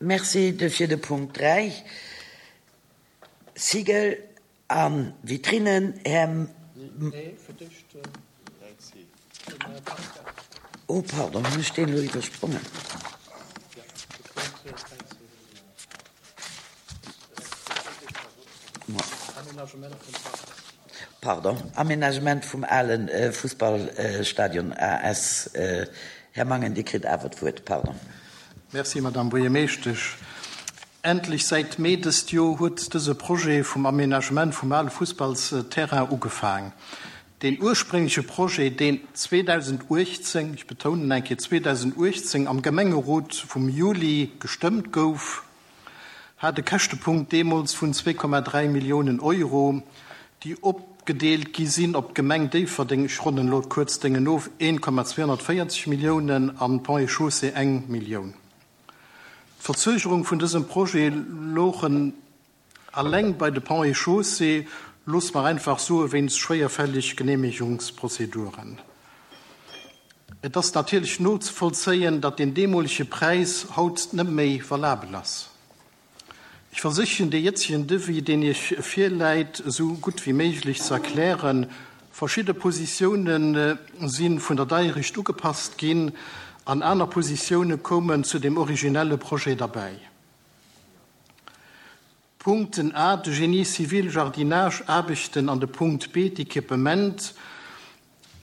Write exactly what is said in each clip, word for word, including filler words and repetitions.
Merci fir de Punkt dräi. Sigel a Vitrinnen, Här. Nee, fir d'éischt den Här Pascal. Oh, pardon, hunn ech deen elo iwwersprongen? Pardon, Aménagement vum ale Fussballstadion A S. Här Mangen, Dir kritt awer d'Wuert, pardon. Merci, Madame Buergermeeschtesch. Endlech, säit Mee dëst Joer huet dëse Projet vum Aménagement vum ale Fussballsterrain ugefaang. Deen urspréngleche Projet, deen zweedausenduechtzéng, ech betounen eng Kéier zweedausenduechtzéng, am Gemengerot vum Juli gestëmmt gouf, hat e Käschtepunkt deemools vun zwee Komma dräi Milliounen Euro, déi opgedeelt gi sinn op d'Gemeng Déifferdeng, ech ronnen elo kuerz d'Déngen of, een Komma zweehonnertvéierzeg Milliounen an Ponts et Chaussées eng Millioun. D'Verzögerung vun dësem Projet louchen alleng bei de Ponts et Chaussées, loosse mer einfach soe wéinst schwéierfällig Genehmigungsprozeduren. Et ass natierlech nozevollzéien, datt deen deemolege Präis haut net méi valabel ass. Ech versichen, dee jëtzegen Devis, deen Iech virläit, esou gutt wéi méiglech ze erklären. Verschidde Positioune si vun der Deierecht ugepasst ginn an aner Positioune koumen zu dem originelle Projet derbäi. D'Punkten A, de Génie civil, Jardinage, Aarbechten, an de Punkt B, d'Equipement,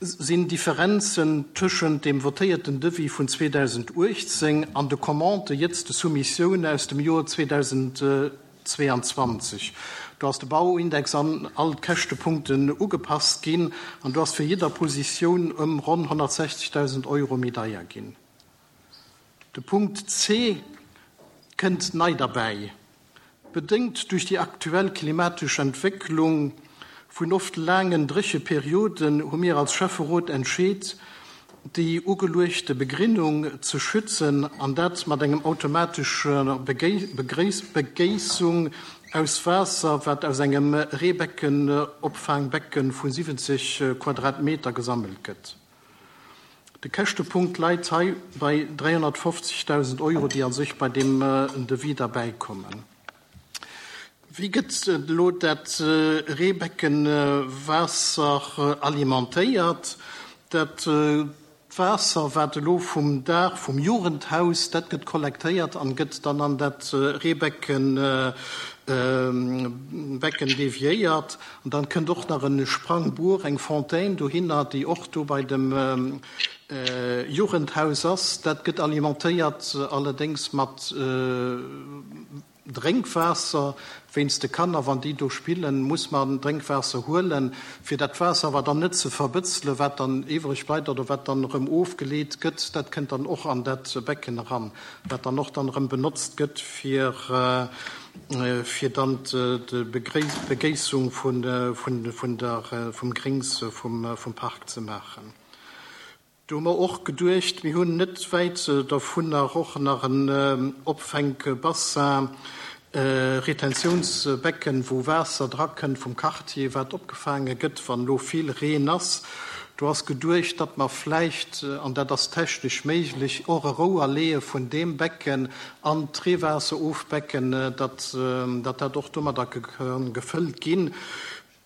sinn Differenzen tëschent dem votéierten Devis vun zweedausenduechtzéng an de Commandë, jëtzt de Soumissioune aus dem Joer zweedausendzweeanzwanzeg. Do ass de Bauindex an all d'Käschtepunkten ugepasst ginn an do ass fir jidder Positioun ëm ronn honnertsechzegdausend Euro méi deier ginn. De Punkt C kënnt nei derbäi. Bedéngt duerch déi aktuell klimatesch Entwécklung vun oft laangen Drécheperioden hu mir als Schäfferot entscheet, déi ugeluechte Begrinnung ze schützen an dat mat engem automatescher Begéissung aus Waasser, wat aus engem Reebeckenopfaangbecken vu siwwenzeg Quadratmeter gesammelt gëtt. De Käschtepunkt läit hei bei dräihonnertfofzegdausend Euro, déi a sech bei deem Devis derbäikommen. Wéi gëtt elo dat Reebeckenwaasser alimentéiert? Dat Waasser, wat elo vum Daach vum Jugendhaus, dat gëtt kollektéiert an gëtt dann an dat Reebecken Becken deviéiert. An dann kënnt och nach e Sprangbuer, eng Fontaine dohinner, déi och do bei dem Jugendhaus ass. Dat gëtt alimentéiert allerdéngs mat Drénkwaasser. Wéinst de Kanner, wann déi do spillen, muss mer Drénkwaasser huelen. Fir dat Waasser awer dann net ze verbëtzelen, wat dann iwwreg bleift oder wat dann erëm ofgeleet gëtt, dat kënnt dann och an dat Becken eran, wat dann och dann erëm benotzt gëtt, fir fir dann d'Begéissung vun vun der vum Grings vum vum Park ze maachen. Do hu mer och geduecht, mir hunn net wäit dovunner och nach en Opfänkbassin, Retentiounsbecken, wou Waasser drakënnt vum Quartier, wat opgefaange gëtt, wann elo vill Reen ass. Do ass geduecht, datt mer vläicht, an dat ass technesch méiglech, och e Rouer leeë vun deem Becken an d'Reewaasserofbecken, datt dat och domadder ka gefëllt ginn.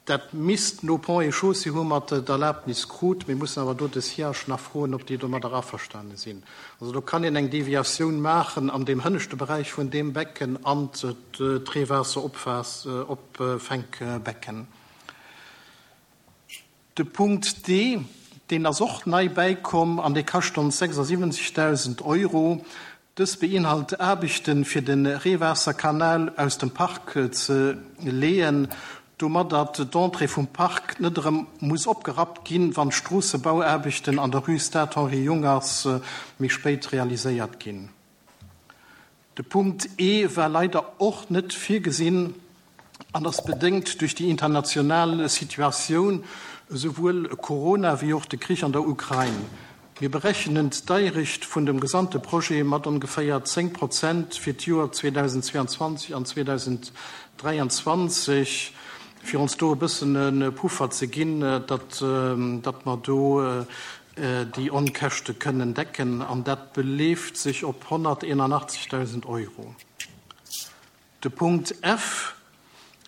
Dat misst no Ponts et Chaussées, hu mer d'Erlaabnis krut. Mir mussen awer do de Siage nach froen, ob déi domadder averstane sinn. Also do kann een eng Deviatioun maachen an deem hënneschte Beräich vun deem Becken an d'Reewaasseropfänkbecken. De Punkt D, deen ass och nei bäikomm an dee kascht ons sechsundsiwwenzegdausend Euro. Dës beinhalt Aarbechten, fir de Reewaasserkanal aus dem Park ze leeën, domadder d'Entrée vum Park net erëm muss opgerappt ginn, wann d'Stroossebauaarbechten an der Rue Stade Henri Jungers méi spéit realiséiert ginn. De Punkt E war leider och net virgesinn an ass bedéngt duerch déi international Situatioun, esouwuel Corona wéi och de Krich an der Ukrain. Mir berechnen d'Deierecht vun dem gesamte Projet mat ongeféier zéng Prozent fir d'Joer zweedausendzweeanzwanzeg an zweedausenddräianzwanzeg, fir ons do e bëssen e Puffer ze ginn, datt, datt mer do déi Onkäschte kënnen decken an dat beleeft sech op honnerteenundachtzigtausend Euro. De Punkt F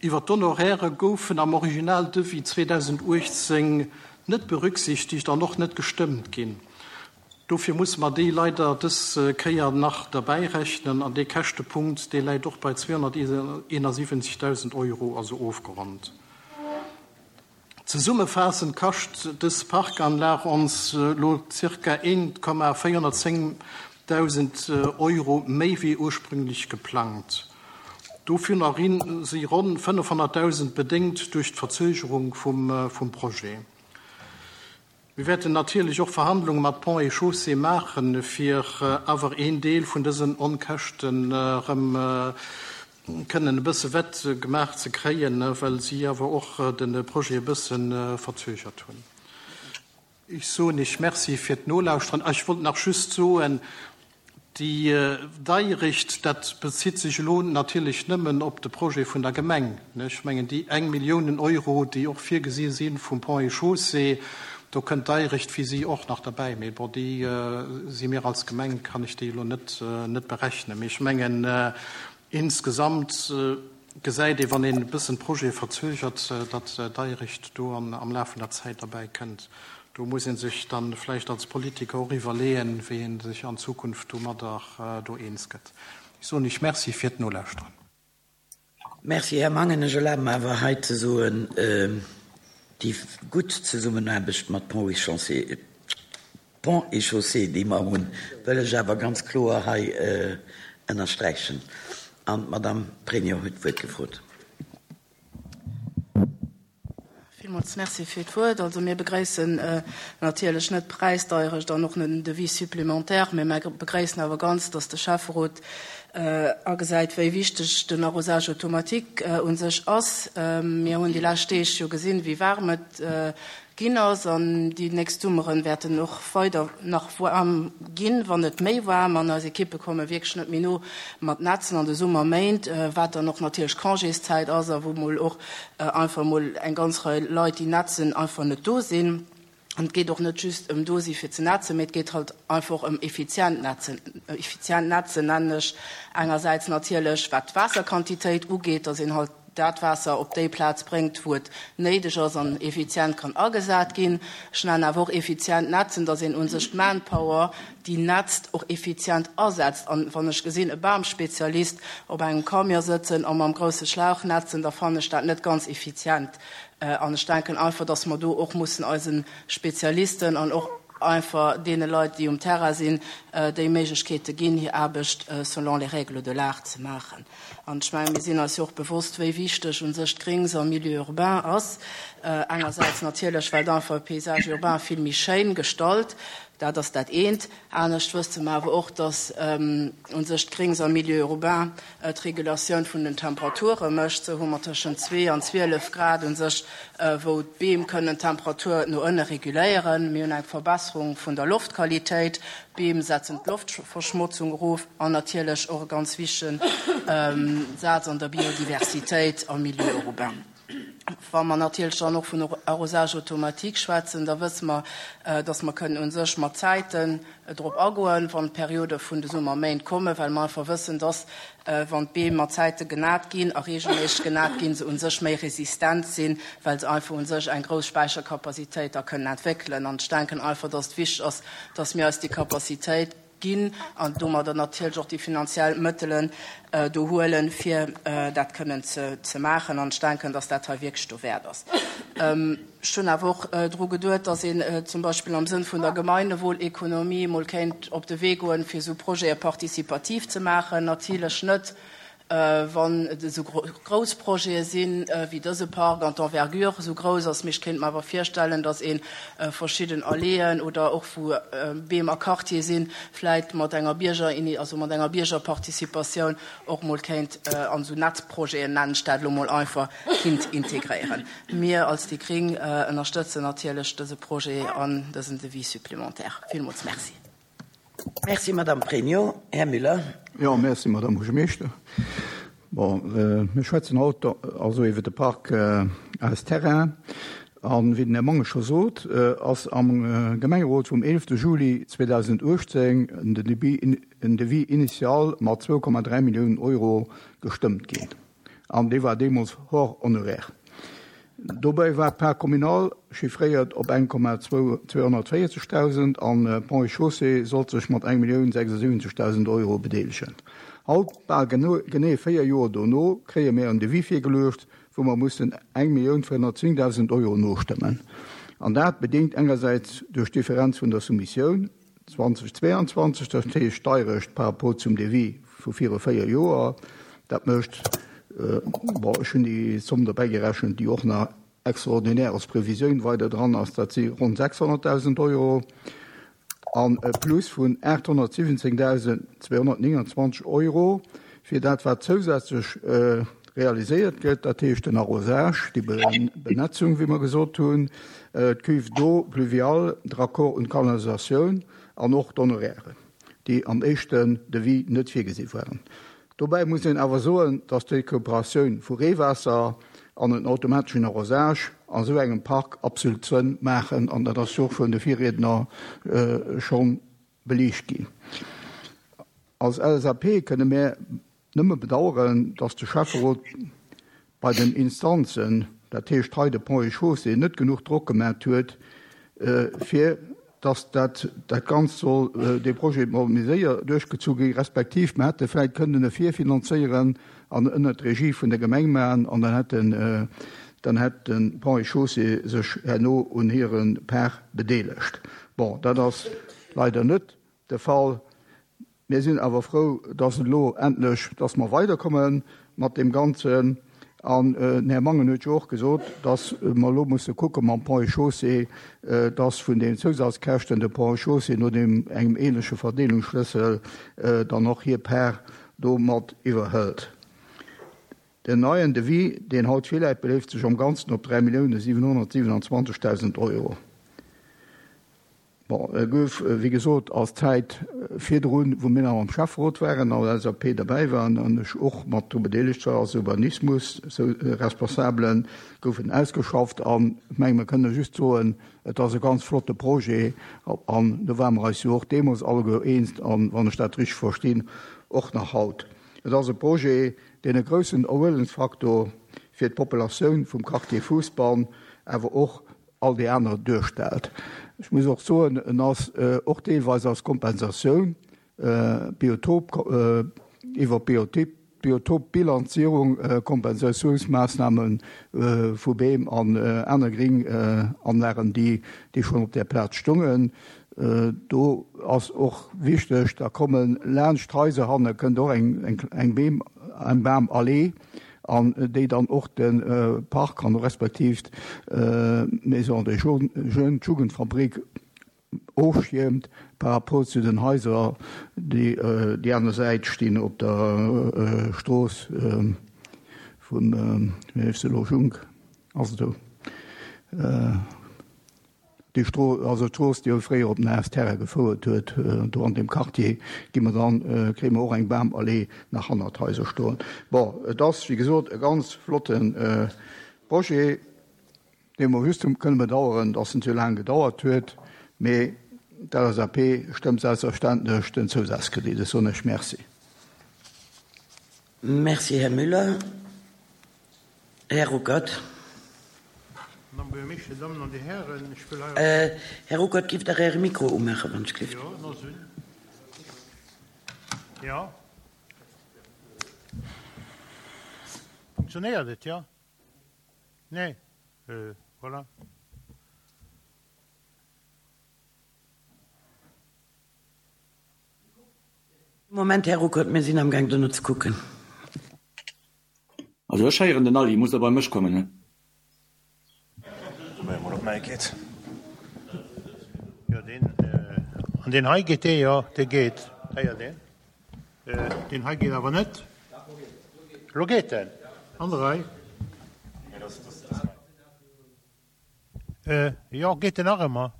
iwwer d'Honoraire goufen am Originaldevis zweedausendachtzehn net berücksichtigt an och net gestëmmt ginn. Dofir muss man déi leider dës Kéier nach derbäi rechnen an dee Käschtepunkt, dee läit och bei zweehonnerteenundsiwwenzigtausend Euro, also ofgeronnt. Zesummefaassend kascht dës Parkanlag ons lo zirka een Komma véierhonnertzéngtausend Euro méi wéi ursprünglech geplangt. Dovunner si ronn fënnefhonnertdausend bedéngt duerch d'Verzögerung vum, vum Projet. Mir wäerten natierlech och Verhandlunge mat Ponts et Chaussées maachen, fir awer een Deel vun dësen Onkäschten erëm kënnen e bësse wett gemaach ze kréien, well si awer och de Projet e bësse verzögert hunn. Ech soen iech Merci fir d'Nolauschteren. Ech wollt nach just soen, déi Deierecht, dat bezitt sech elo natierlech nëmmen op de Projet vun der Gemeng. Ech mengen, déi eng Milliounen Euro, déi och virgesi sinn vum Ponts et Chaussées, do kënnt d'Deierecht fir si och nach derbäi. Mee bon, déi si mir als Gemeng, kann ech déi elo net, net berechnen. Mee ech mengen, insgesamt gesäit ee, wann een e bëssen Projet verzögert, datt d'Deierecht do an, am Laf vun der Zäit derbäi kënnt. Do muss een sech dann vläicht als Politiker och iwwerleeën, wéi een sech an Zukunft domadder do eens gëtt. Ech soen iech Merci fir d'Nolauschteren. Merci, Här Mangen. Ech erlabe mer awer hei ze soen, déi gutt Zesummenaarbecht mat Ponts et Chaussées, Ponts et Chaussées, déi mer hunn, wëll ech awer ganz kloer hei ënnersträichen. An d'Madame Pregno huet d'Wuert gefrot. Villmools Merci fir d'Wuert. Also mir begréissen natierlech net d'Präisdeierecht an och net den Devis supplémentaire, mee mir begréissen awer ganz, dass de Schäfferot agesäit, wéi wichteg den Arrosage automatique un sech ass. Mir hunn déi lescht Deeg jo gesinn, wéi waarm et ginn ass an déi nächst Summeren wäerten och weider nach waarm ginn, wann net méi waarm, an eis Ekippe komme wierklech net méi no mat Netzen an de Summerméint, wat dann och natierlech Congészäit ass a wou mol och einfach mol eng ganz Rei Leit, déi netzen, einfach net do sinn. An et geet och net just ëm do si fir ze netzen, mee et geet halt einfach ëm effizient netzen. Effizient netzen nennen ech engersäits natierlech, wat d'Waasserquantitéit ugeet, dass een halt dat Waasser op déi Plaz bréngt, wou et néideg ass an effizient kann agesat ginn. Ech nennen awer och effizient netzen, dass een un sech d'Manpower, déi netzt, och effizient asetzt. An wann ech gesinn, e Bamspezialist op engem Camion sëtzen a mam grousse Schlauch netzen, da fannen ech dat net ganz effizient. An ech denken einfach, dass mer do och mussen eisen Spezialisten an och einfach deene Leit, déi um Terrain sinn, déi Méiglechkeete ginn, hir Aarbecht selon les règles de l'art ze maachen. An ech mengen, mir sinn eis jo och bewosst, wéi wichteg un sech d'Grings am Milieu urbain ass. Engersäits natierlech, well einfach e Paysage urbain vill méi schéin gestalt, dat ass dat eent. Anescht wësse mer awer och, dass un sech d'Grings am Milieu urbain d'Regulatioun vun den Temperature mécht. Sou hu mer tëschent zwee an zwielef Grad un sech, wou d'Beem kënnen d'Temperatur no ënne reguléieren. Mir hunn eng Verbesserung vun der Loftqualitéit. D'Beem setzen d'Loftverschmotzung erof an natierlech och e ganz wichtegen Saz an der Biodiversitéit am Milieu urbain. Wa mer natierlech dann och vun Arrosage automatique schwätzen, da wësse mer, dass mer kënnen un sech mat Zäiten drop agoen, wann d'Periode vun de Summerméint kommen, well mer einfach wëssen, dass, wann d'Beem mat Zäite genat ginn a reegelméisseg genat ginn, se un sech méi resistent sinn, well se einfach un sech eng grouss Späicherkapazitéit da kënnen entwéckelen. An ech denken einfach, dass et wichteg ass, dass mir eis déi Kapazitéit ginn an domadder natierlech och déi finanziell Mëttelen do huelen, fir dat kënnen ze, ze maachen. An ech denken, dass dat hei wierklech dowäert ass. Ech hunn awer och dru geduet, dass een zum Beispill am Sënn vun der Gemeinwohlekonomie mol kéint op de Wee goen, fir esou Projete partizipativ ze maachen. Natierlech net, wann et esou grouss Projete sinn, wéi dëse Park an d'Envergure esou grouss ass. Mee ech kéint mer awer virstellen, dass ee verschidden Alléeën oder och wou Beem a Quartier sinn, vläit mat enger Bierger, also mat enger Biergerparticipatioun och mol kéint an esou Netzprojeten, nennen ech dat elo mol einfach, kinnt integréieren. Mir als déi Gréng ënnerstëtzen natierlech dëse Projet an dësen Devis supplémentaire. Villmools Merci. Merci, Madame Pregno. Här Müller. Jo, merci, Madame Buergermeeschter. Bon, mir schwätzen haut also iwwer de Park als Terrain. An wéi den Här Mangen scho sot, ass am Gemengerot vum eelefte Juli zweedausenduechtzéng en Devis initial mat zwou Komma dräi Milliounen Euro gestëmmt ginn. An dee war deemools hors honoraire. Dobäi war d'Part communale chiffréiert op eng Komma zweehonnertvéierzegdausend an Ponts et Chaussées sollt sech mat eng Millioun sechsundsiwwenzegdausend Euro bedeelegen. Haut, bal genee véier Joer dono, kréie mir en Devis virgeluecht, wou mer mussen eng Millioun véierhonnertzéngdausend Euro nostëmmen. An dat bedéngt engersäits duerch d'Differenz vun der Soumissioun zweitausendzweiundzwanzeg, dat heescht d'Deirecht par rapport zum Devis vu viru véier Joer. Dat mécht, bon, ech hunn déi Zomm dobäi gerechent, déi och nach extraordinär als Previsioun weider dran ass, dat si ronn sechshonnertdausend Euro an e Plus vun aathonnertsiwwenzéngdausendzweehonnertnéngandzwanzeg Euro fir dat, wat zousätzlech realiséiert gëtt, dat heescht den Arrosage, déi Benetzung, wéi mer gesot hunn, d'Cuve d'eau pluviale, de Raccord un d'Kanalisatioun an och d'Honorairen, déi am éischten Devis net virgesi waren. Dobäi muss een awer soen, dass d'Recuperatioun vu Reewaasser an en automateschen Arrosage an esou engem Park absolut Sënn maachen, an dat ass jo och vun de Virriedner schonn beliicht ginn. Als L S A P kënne mär nëmme bedauern, dass de Schäfferot bei den Instanzen, dat heescht hei de Ponts et Chaussées, net genuch Drock gemaach huet, fir dass dat, dat Ganzt soll, dee Projet mol méi séier duerchgezu gi, respektiv mer hätte vläicht kënnen e virfinanzéieren an ënner d'Regie vun der Gemeng maachen, an dann hätten, dann hätt den Ponts et Chaussées sech herno un hire Part bedeelegt. Bon, dat ass leider net de Fall. Mir sinn awer frou, dass et elo endlech, dass mer weiderkomme mat dem Ganzen. An den Här Mangen huet jo och gesot, dass mer elo musse kucke mam Ponts et Chaussées, dass vun den Zousazkäschten de Ponts et Chaussées no dem engem ähnleche Verdeelungsschlüssel dann och hir Part do mat iwwerhëlt. Den neien Devis, deen haut virläit, beléift sech am Ganzen op dräi Milliounen siewenhonnertsiewenundzwanzegtausend Euro. Bon, e gouf, wéi gesot, als Zäit virdrun, wou mir nach am Schäfferot waren, an L S A P dabei waren an ech och mat dru bedeelegt war als Urbanismus-Responsablen, goufen ausgeschafft. An ich meng, mir kënne just soen, et ass e ganz flotte Projet, an do waren wir eis jo och deemools alleguer eens, an wann ech dat richtig verstinn, och nach haut. Et ass e Projet, deen e groussen Erhuelungsfaktor fir d'Populatioun vum Quartier Fousbann, awer och all déi aner duerstellt. Ech muss och soen, en ass och deelweis als Kompensatioun, Biotop, iwwer Biotop, Biotopbilanzierung, Kompensatiounsmaßnahmen vu Beem an aner Gringanlagen, déi, déi schon op der Plaz stungen. Do ass och wichteg, da kommen laanscht Häuser hanne, kënnt och eng, eng, eng Beem, eng Bamallee, an déi dann och den Park an respektiv d'Maison des Jeunes, d'Jugendfabrik ofschirmt par rapport zu den Häuser, déi déi aner Säit stinn op der Strooss vun, wéi heescht se elo, Junk, ass et do. Déi Stro-, also d'Strooss, déi fréier op den A S Terrain gefouert huet, do an dem Quartier, gi mer dann, kréie mer och eng Bamallee nach hannert Häuser stoen. Bon, et ass, wéi gesot, e ganz flotten Projet, dee mer just kënne bedauern, dass en zu laang gedauert huet, mee d'L S A P stëmmt selbstverständlech den Zousazkredit. Ech soen Iech Merci. Merci, Här Müller. Här Ruckert. Madame Buergermeeschterin, Damen und Herren, ich will Äh, Här Ruckert, gift der Äre Mikro ummachen, wann ich gift. Ja, no sinn. Ja. Funktioniert et, ja? Nee. Äh, voilà. Moment, Här Ruckert, wir sind am Gang, da noch zu gucken. Also ech heieren den Alli, muss da bei mech kommen, ne? Geht. Ja, den, äh, an den Hai geht der, ja, der geht. Ja, den. Äh, den Hai geht aber nicht. Lo geht denn? Andere? Äh, ja, geht den auch immer.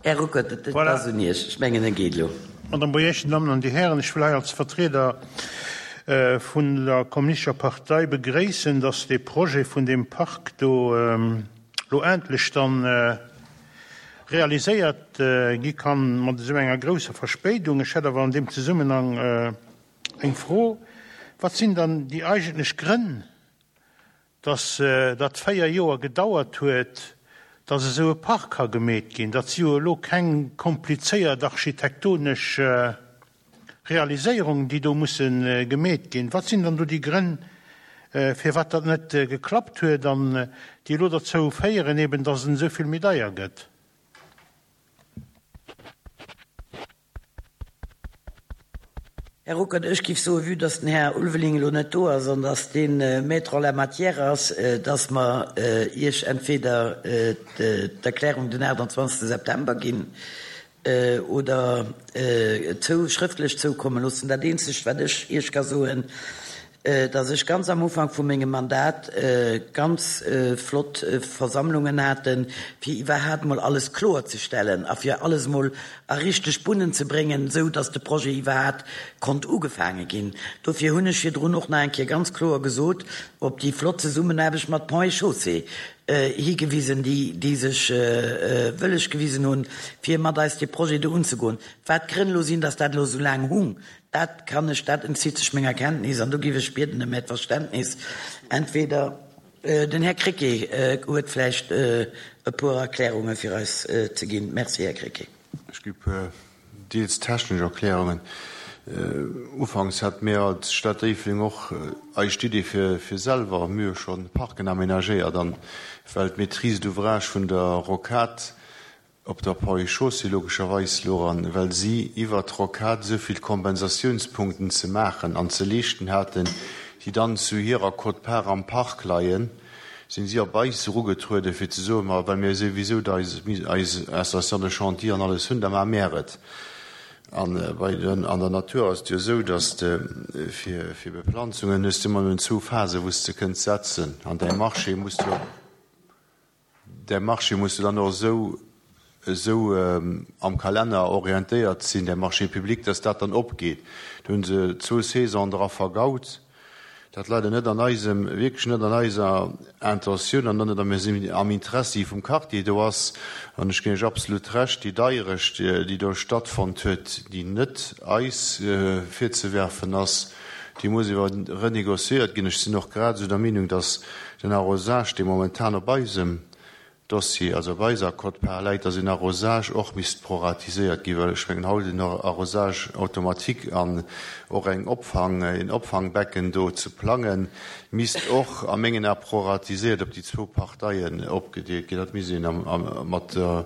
Här Ruckert, et ass un Iech. Ech mengen, e geet elo. Madame Buergermeeschter, Dir Dammen an Dir Hären, ech wëll hei als Vertrieder vun der Kommunistescher Partei begréissen, dass dee Projet vun deem Park do elo endlech dann realiséiert gi kann, mat esou enger grousser Verspéidung. Ech hätt awer an deem Zesummenhang eng Fro, Wat sinn dann déi eigentlech Grënn, dass dat véier Joer gedauert huet, dass esou e Park ka gemeet ginn? Dat si jo elo keng komplizéiert architektonesch Realiséierungen, déi do musse gemeet ginn. Wat sinn dann do déi Grënn, firwat dat net geklappt huet an déi elo derzou féieren, eben dass en esou vill méi deier gëtt? Här Ruckert, ech géif soen, vue dass den Här Ulveling elo net do ass an dass dee Maître en la matière ass, dass mer Iech entweder d'Erklärung den achtundzwanzegste September ginn oder zou schrëftlech zoukomme loossen. Dat Eenzegt, wat ech Iech ka soen, dass ech ganz am Ufank vu mengem Mandat ganz flott Versammlungen haten, fir iwwerhaapt mol alles kloerzestellen a fir alles mol a richteg Bunnen ze bréngen, esou dass de Projet iwwerhaapt konnt ugefaange ginn. Dofir hunn ech virdrun och nach eng Kéier ganz kloer gesot, op déi flott Zesummenaarbecht mat Ponts et Chaussées higewisen, déi, déi sech wëlleg gewisen hunn, fir mat eis dee Projet do unzegoen. Wat d'Grënn elo sinn, dass dat elo esou laang hung, dat kann ech, dat entzitt sech menger Kenntnis an do géif ech bieden ëm Äert Verständnis. Entweder den Här Krecké huet vläicht e puer Erklärunge fir eis ze ginn. Merci, Här Krecké. Ech gi puer deels technesch Erklärungen. Ufanks hate mir als Stad Déifferdeng och eis d'Idee fir fir selwer, mir hu schonn Parken aménagéiert, an well d'Maîtrise d'ouvrage vun der Rocade op der Ponts et Chaussées logescherweis louch an well si iwwert d'Rocade esou vill Kompensationspunkten ze maachen an ze leeschten haten, déi dann zu hirer Quote-part am Park leien, sinn si op eis erugetrueden, fir ze soen, ma well mir souwisou eis Installation de chantier an alles hunn, da maache mär et. An bei den, an der Natur ass et jo esou, dass de fir, fir Beplanzungen hues de ëmmer nëmmen zwou Phasen, wou s de kënns setzen. An däi Marché muss du, däi Marché muss du dann och esou, esou am Kalenner orientéiert sinn, däi Marché public, dass dat dann opgeet. Do hu se zwou Saisonen dra vergaut. Dat leider net an eisem, wierklech net an eiser Intentioun an net am Interessi vum Quartier do ass. An ech ginn Iech absolut Recht, déi Deierecht, déi do stattfonnt huet, déi net eis virzewerfen ass, déi muss iwwer renégociéiert ginn. Ech sinn och grad esou der Meenung, dass den Arrosage, dee momentan op eisem Dossier, also op eiser Quote-part läit, dass een Arrosage och misst proratiséiert ginn, well ech mengen haut en Arrosage automatique an och eng Opfang, een Opfangbecken do ze plangen, misst och a mengen Ae proratiséiert op déi zwou Parteien opgedeelt ginn. Dat misst een am, am, mat der,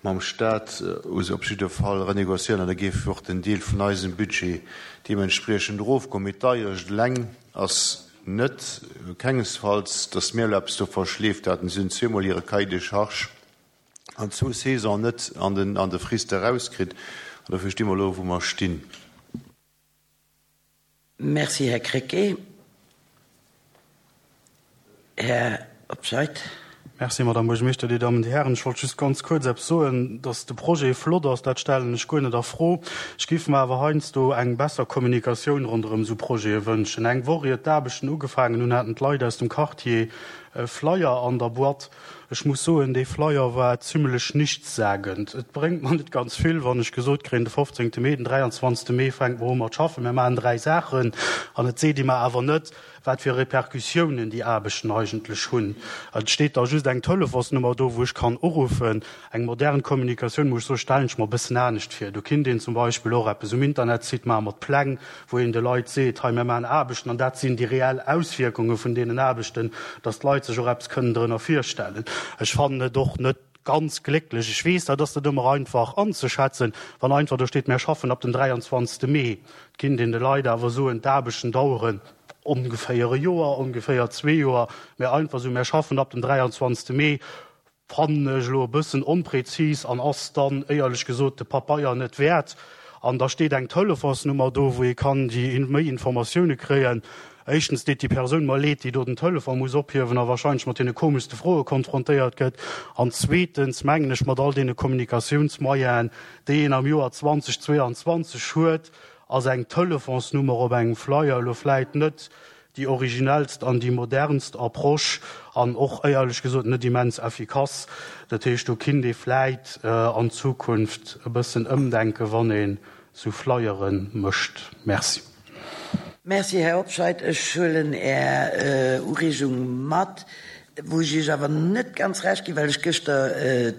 mam Stat op jidde Fall renégociéieren an da géif och den Deel vun eisem Budget deementspriechend erofgoen. Mee d'Deierecht eleng ass net, kengesfalls, datt mir elo eppes do verschleeft haten. Si hunn zweemol hire Cahier de charges an zwou Saisonen net an den, an de Frist erauskritt. An dofir sti mer elo, wou mer stinn. Merci, Här Krecké. Här Obscheid. Merci, Madame Buergermeeschter, Dir Dammen, Dir Hären. Ech wollt just ganz kuerz eppes soen, dass de Projet flott ass, dat stellen ech guer net a Fro. Ech géif mer awer heiansdo eng besser Kommunikatioun ronderëm esou Projete wënschen. Eng Woch ier d'Aarbechten ugefaangen hunn, haten d'Leit aus dem Quartier e Flyer an der Boîte. Ech muss soen, dee Flyer war zimmlech nichtssagend. Et bréngt mer net ganz vill, wann ech gesot kréien, de fofzéngte Mee, den dräianzwanzegste Mee fänke mer u mat schaffen, mir maachen dräi Saachen, an et seet ee mer awer net, wat fir Repercussiounen déi Aarbechten eigentlech hunn. Et steet da just eng Telefonsnummer do, wou ech kann uruffen. Eng modern Kommunikatioun, muss ech soen, stellen ech mer e bëssen anescht vir. Do kinnt een zum Beispill och eppes um Internetsite maache mat Pläng, wou een de Leit seet, hei mir maachen Aarbechten an dat sinn déi reell Auswierkunge vun deenen Aarbechten, dass d'Leit sech och eppes kënnen drënner virstellen. Ech fannen et och net ganz glécklech. Ech weess, dat ass net ëmmer einfach anzeschätzen, wann einfach do steet, mir schaffen ab dem dräianzwanzegste Mee. Et kinnt een de Leit awer soen, d'Aarbechten daueren ongeféier e Joer, ongeféier zwee Joer, mä einfach esou, mir schaffen ab dem dräianzwanzegste Mee, fannen ech elo e bëssen onprezis an ass dann, éierlech gesot, de Papeier net wäert. An da steet eng Telefonsnummer do, wou ee kann déi méi Informatioune kréien. Éischtens deet déi Persoun mer leed, déi do den Telefon muss ophiewen a wahrscheinlech mat deene komeschste Froe konfrontéiert gëtt. An zweetens mengen ech, mat all deene Kommunikatiounsmoyenen, déi een am Joer zweitausendzweiundzwanzeg huet, ass eng Telefonsnummer op engem Flyer elo vläit net déi originellst an déi modernst Approche an och éierlech gesot net immens effikass. Dat heescht, do kinnt ee vläit an Zukunft e bëssen ëmdenken, wann een esou Flyere mécht. Merci. Merci, Här Hobscheit. Ech huelen Är Ureegung mat, wou ech Iech awer net ganz Recht ginn, well ech gëschter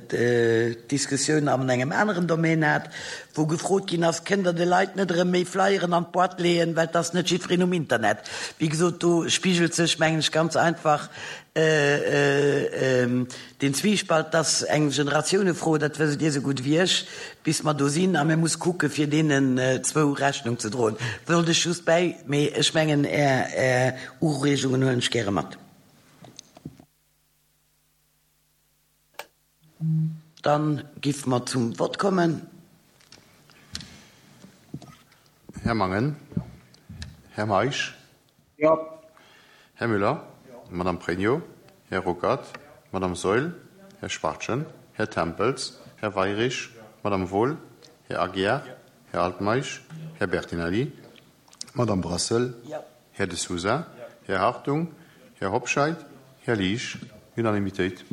d'Diskussioun an engem aneren Domaine hat, wou gefrot ginn ass, Kënnt Der de Leit net erëm méi Flyeren an d'Boîte leeën, well et ass net jiddwereen um Internet. Wéi gesot, do spigelt sech, mengen ech, ganz einfach deen Zwiespalt. Et ass eng Generatiounefro, dat wësst Dir esou gutt wéi ech, bis mer do sinn. A mir muss kucke fir deenen zwou Rechnung ze droen. Wollt ech just bäi, mee ech mengen, Är Ureegungen huelen ech gäre mat. Dann giff mer zum Vott kommen. Här Mangen. Här Meisch. Jo. Här Müller. Madame Pregno. Här Ruckert. Madame Saeul. Här Schwachtgen. Här Tempels. Här Weyrich. Madame Wohl. Här Aguiar. Här Altmeisch. Här Bertinelli. Madame Brassel. Här De Sousa. Här Hartung. Här Hobscheit. Här Liesch. Unanimitéit.